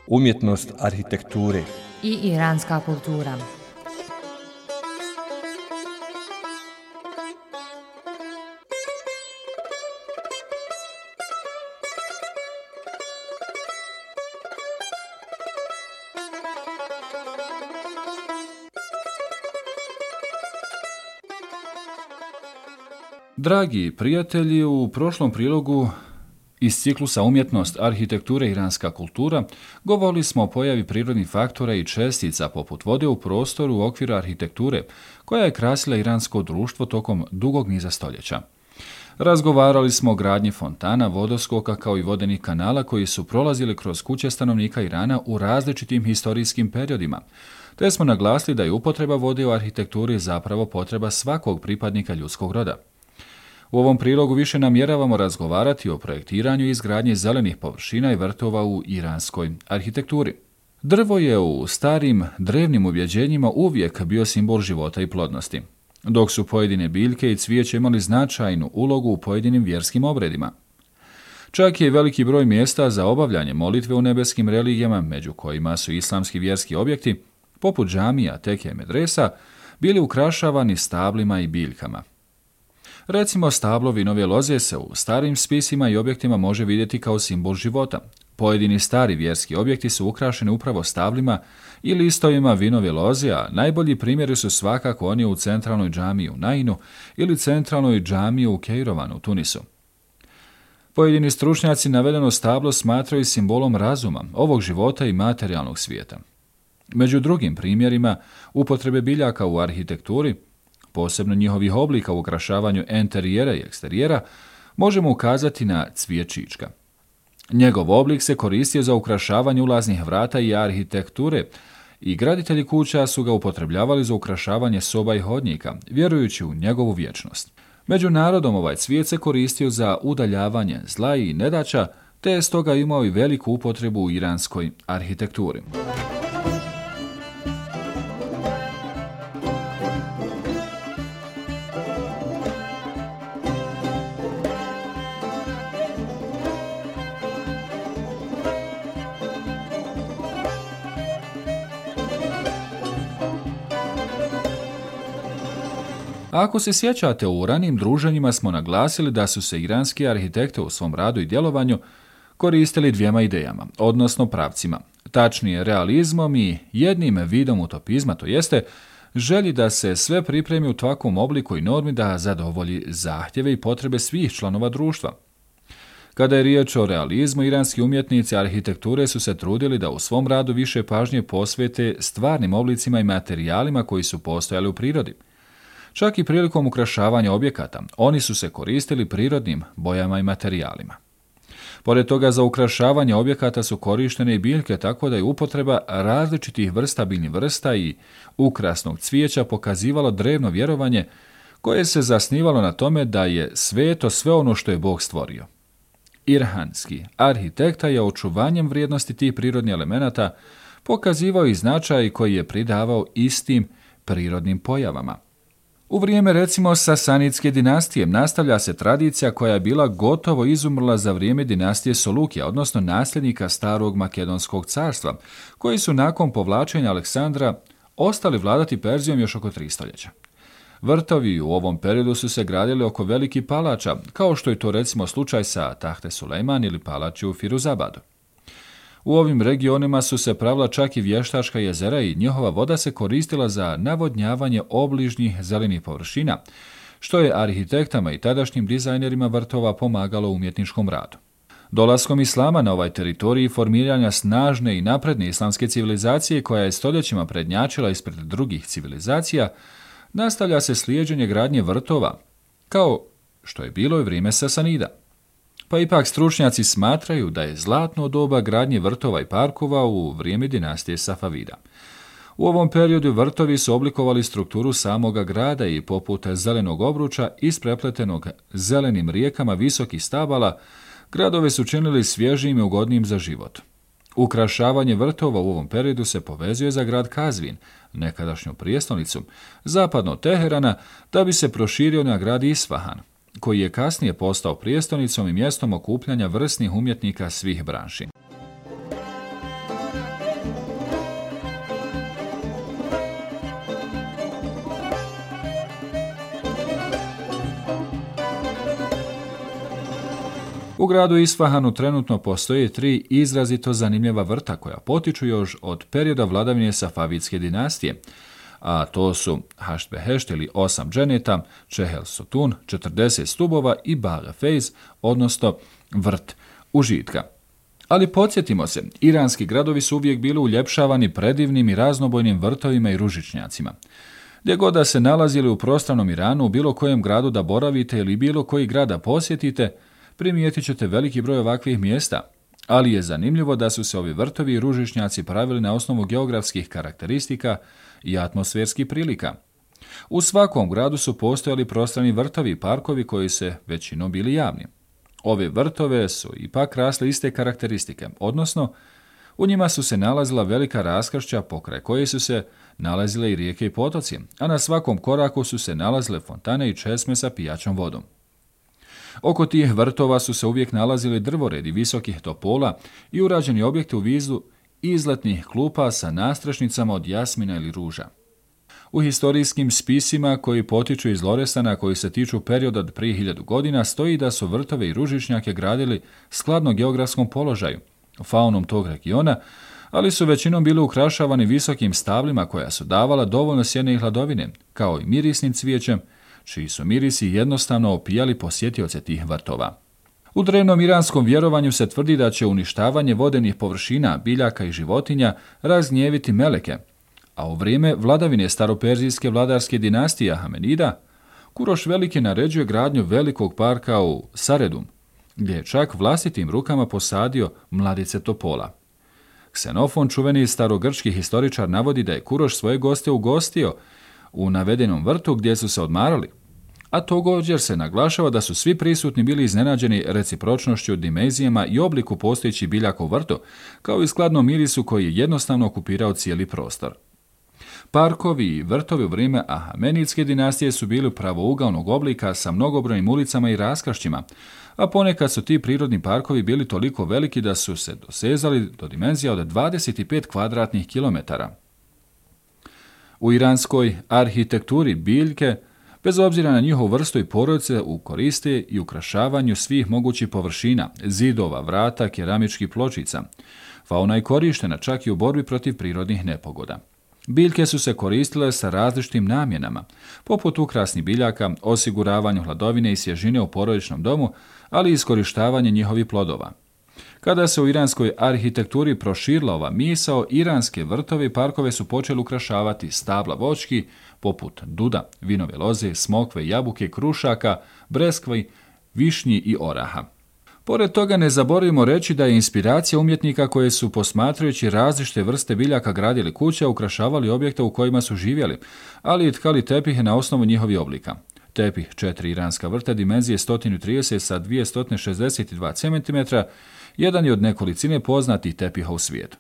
Umjetnost arhitekture i iranska kultura. Dragi prijatelji, u prošlom prilogu iz ciklusa Umjetnost arhitekture i iranska kultura govorili smo o pojavi prirodnih faktora i čestica poput vode u prostoru u okviru arhitekture koja je krasila iransko društvo tokom dugog niza stoljeća. Razgovarali smo o gradnji fontana, vodoskoka kao i vodenih kanala koji su prolazili kroz kuće stanovnika Irana u različitim historijskim periodima, te smo naglasili da je upotreba vode u arhitekturi zapravo potreba svakog pripadnika ljudskog roda. U ovom prilogu više namjeravamo razgovarati o projektiranju i izgradnji zelenih površina i vrtova u iranskoj arhitekturi. Drvo je u starim drevnim ubjeđenjima uvijek bio simbol života i plodnosti, dok su pojedine biljke i cvijeće imali značajnu ulogu u pojedinim vjerskim obredima. Čak je veliki broj mjesta za obavljanje molitve u nebeskim religijama, među kojima su islamski vjerski objekti, poput džamija, teke, medresa, bili ukrašavani stablima i biljkama. Recimo, stablo vinove loze se u starim spisima i objektima može vidjeti kao simbol života. Pojedini stari vjerski objekti su ukrašeni upravo stablima i listovima vinove loze, a najbolji primjeri su svakako oni u centralnoj džamiji u Nainu ili centralnoj džamiji u Kejrovanu u Tunisu. Pojedini stručnjaci navedeno stablo smatraju simbolom razuma, ovog života i materijalnog svijeta. Među drugim primjerima upotrebe biljaka u arhitekturi, posebno njihovih oblika u ukrašavanju enterijera i eksterijera, možemo ukazati na cvijet čička. Njegov oblik se koristio za ukrašavanje ulaznih vrata i arhitekture i graditelji kuća su ga upotrebljavali za ukrašavanje soba i hodnika, vjerujući u njegovu vječnost. Među narodom ovaj cvijet se koristio za udaljavanje zla i nedaća, te je stoga imao i veliku upotrebu u iranskoj arhitekturi. Ako se sjećate, u ranim druženjima smo naglasili da su se iranski arhitekte u svom radu i djelovanju koristili dvijema idejama, odnosno pravcima, tačnije realizmom i jednim vidom utopizma, to jeste želji da se sve pripremi u takvom obliku i normi da zadovolji zahtjeve i potrebe svih članova društva. Kada je riječ o realizmu, iranski umjetnici arhitekture su se trudili da u svom radu više pažnje posvete stvarnim oblicima i materijalima koji su postojali u prirodi. Čak i prilikom ukrašavanja objekata, oni su se koristili prirodnim bojama i materijalima. Pored toga, za ukrašavanje objekata su korištene i biljke, tako da je upotreba različitih vrsta biljnih vrsta i ukrasnog cvijeća pokazivalo drevno vjerovanje koje se zasnivalo na tome da je sveto sve ono što je Bog stvorio. Iranski arhitekta je očuvanjem vrijednosti tih prirodnih elemenata pokazivao i značaj koji je pridavao istim prirodnim pojavama. U vrijeme recimo Sasanidske dinastije nastavlja se tradicija koja je bila gotovo izumrla za vrijeme dinastije Solukija, odnosno nasljednika starog Makedonskog carstva, koji su nakon povlačenja Aleksandra ostali vladati Perzijom još oko 3 stoljeća. Vrtovi u ovom periodu su se gradili oko velikih palača, kao što je to recimo slučaj sa Tahte Sulejman ili palači u Firuzabadu. U ovim regionima su se pravila čak i vještačka jezera i njihova voda se koristila za navodnjavanje obližnjih zelenih površina, što je arhitektama i tadašnjim dizajnerima vrtova pomagalo u umjetničkom radu. Dolaskom islama na ovaj teritorij i formiranja snažne i napredne islamske civilizacije koja je stoljećima prednjačila ispred drugih civilizacija, nastavlja se slijeđenje gradnje vrtova, kao što je bilo i vrijeme Sasanida. Pa ipak stručnjaci smatraju da je zlatno doba gradnje vrtova i parkova u vrijeme dinastije Safavida. U ovom periodu vrtovi su oblikovali strukturu samoga grada i poput zelenog obruča isprepletenog zelenim rijekama visokih stabala, gradove su činili svježijim i ugodnijim za život. Ukrašavanje vrtova u ovom periodu se povezuje za grad Kazvin, nekadašnju prijestolnicu, zapadno od Teherana, da bi se proširio na grad Isfahan. koji je kasnije postao prijestolnicom i mjestom okupljanja vrsnih umjetnika svih branši. U gradu Isfahanu trenutno postoje 3 izrazito zanimljiva vrta koja potiču još od perioda vladavine Safavijske dinastije, a to su Hašt Behešt ili 8 dženeta, Čehel Sotun, 40 stubova i Bale Fejz, odnosno vrt užitka. Ali podsjetimo se, iranski gradovi su uvijek bili uljepšavani predivnim i raznobojnim vrtovima i ružičnjacima. Gdje god da se nalazili u prostranom Iranu, u bilo kojem gradu da boravite ili bilo koji grad da posjetite, primijetit ćete veliki broj ovakvih mjesta, ali je zanimljivo da su se ovi vrtovi i ružičnjaci pravili na osnovu geografskih karakteristika i atmosferskih prilika. U svakom gradu su postojali prostrani vrtovi i parkovi koji se većinom bili javni. Ove vrtove su ipak rasle iste karakteristike, odnosno u njima su se nalazila velika raskršća pokraj koje su se nalazile i rijeke i potoci, a na svakom koraku su se nalazile fontane i česme sa pijaćom vodom. Oko tih vrtova su se uvijek nalazili drvoredi visokih topola i urađeni objekti u vidu izletnih klupa sa nastrešnicama od jasmina ili ruža. U historijskim spisima koji potiču iz Lorestana, koji se tiču perioda od prije 1000 godina, stoji da su vrtove i ružičnjake gradili skladno geografskom položaju, faunom tog regiona, ali su većinom bili ukrašavani visokim stablima koja su davala dovoljno sjene i hladovine, kao i mirisnim cvijećem, čiji su mirisi jednostavno opijali posjetioce tih vrtova. U drevnom iranskom vjerovanju se tvrdi da će uništavanje vodenih površina, biljaka i životinja razgnjeviti meleke, a u vrijeme vladavine staroperzijske vladarske dinastije Ahamenida, Kuroš Veliki naređuje gradnju velikog parka u Saredum, gdje je čak vlastitim rukama posadio mladice topola. Ksenofon, čuveni starogrčki historičar, navodi da je Kuroš svoje goste ugostio u navedenom vrtu gdje su se odmarali, a također se naglašava da su svi prisutni bili iznenađeni recipročnošću, dimenzijama i obliku postojećih biljaka u vrtu, kao i skladnom mirisu koji je jednostavno okupirao cijeli prostor. Parkovi i vrtovi u vrijeme Ahamenidske dinastije su bili pravougalnog oblika sa mnogobrojnim ulicama i raskršćima, a ponekad su ti prirodni parkovi bili toliko veliki da su se dosezali do dimenzija od 25 kvadratnih kilometara. U iranskoj arhitekturi biljke, bez obzira na njihovu vrstu i porodice, koriste i ukrašavanju svih mogućih površina, zidova, vrata, keramičkih pločica. Fauna je korištena čak i u borbi protiv prirodnih nepogoda. Biljke su se koristile sa različitim namjenama, poput ukrasnih biljaka, osiguravanju hladovine i svježine u porodičnom domu, ali i iskorištavanje njihovih plodova. Kada se u iranskoj arhitekturi proširila ova misao, iranske vrtove i parkove su počeli ukrašavati stabla voćki, poput duda, vinove loze, smokve, jabuke, krušaka, breskve, višnji i oraha. Pored toga ne zaboravimo reći da je inspiracija umjetnika koje su, posmatrajući različite vrste biljaka, gradili kuće, ukrašavali objekte u kojima su živjeli, ali i tkali tepihe na osnovu njihovih oblika. Tepih 4 iranska vrta dimenzije 130 sa 262 cm jedan je od nekolicine poznatih tepiha u svijetu.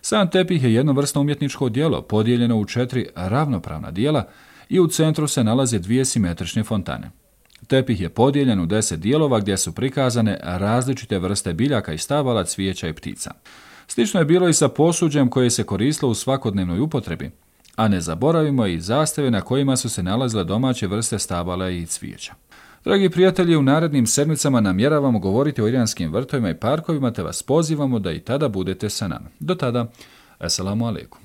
Sam tepih je jednovrsno umjetničko djelo, podijeljeno u 4 ravnopravna dijela i u centru se nalaze 2 simetrične fontane. Tepih je podijeljen u 10 dijelova gdje su prikazane različite vrste biljaka i stabala, cvijeća i ptica. Slično je bilo i sa posuđem koje se koristilo u svakodnevnoj upotrebi, a ne zaboravimo i zastave na kojima su se nalazile domaće vrste stabala i cvijeća. Dragi prijatelji, u narednim sedmicama namjeravamo govoriti o iranskim vrtovima i parkovima, te vas pozivamo da i tada budete sa nama. Do tada, assalamu alaikum.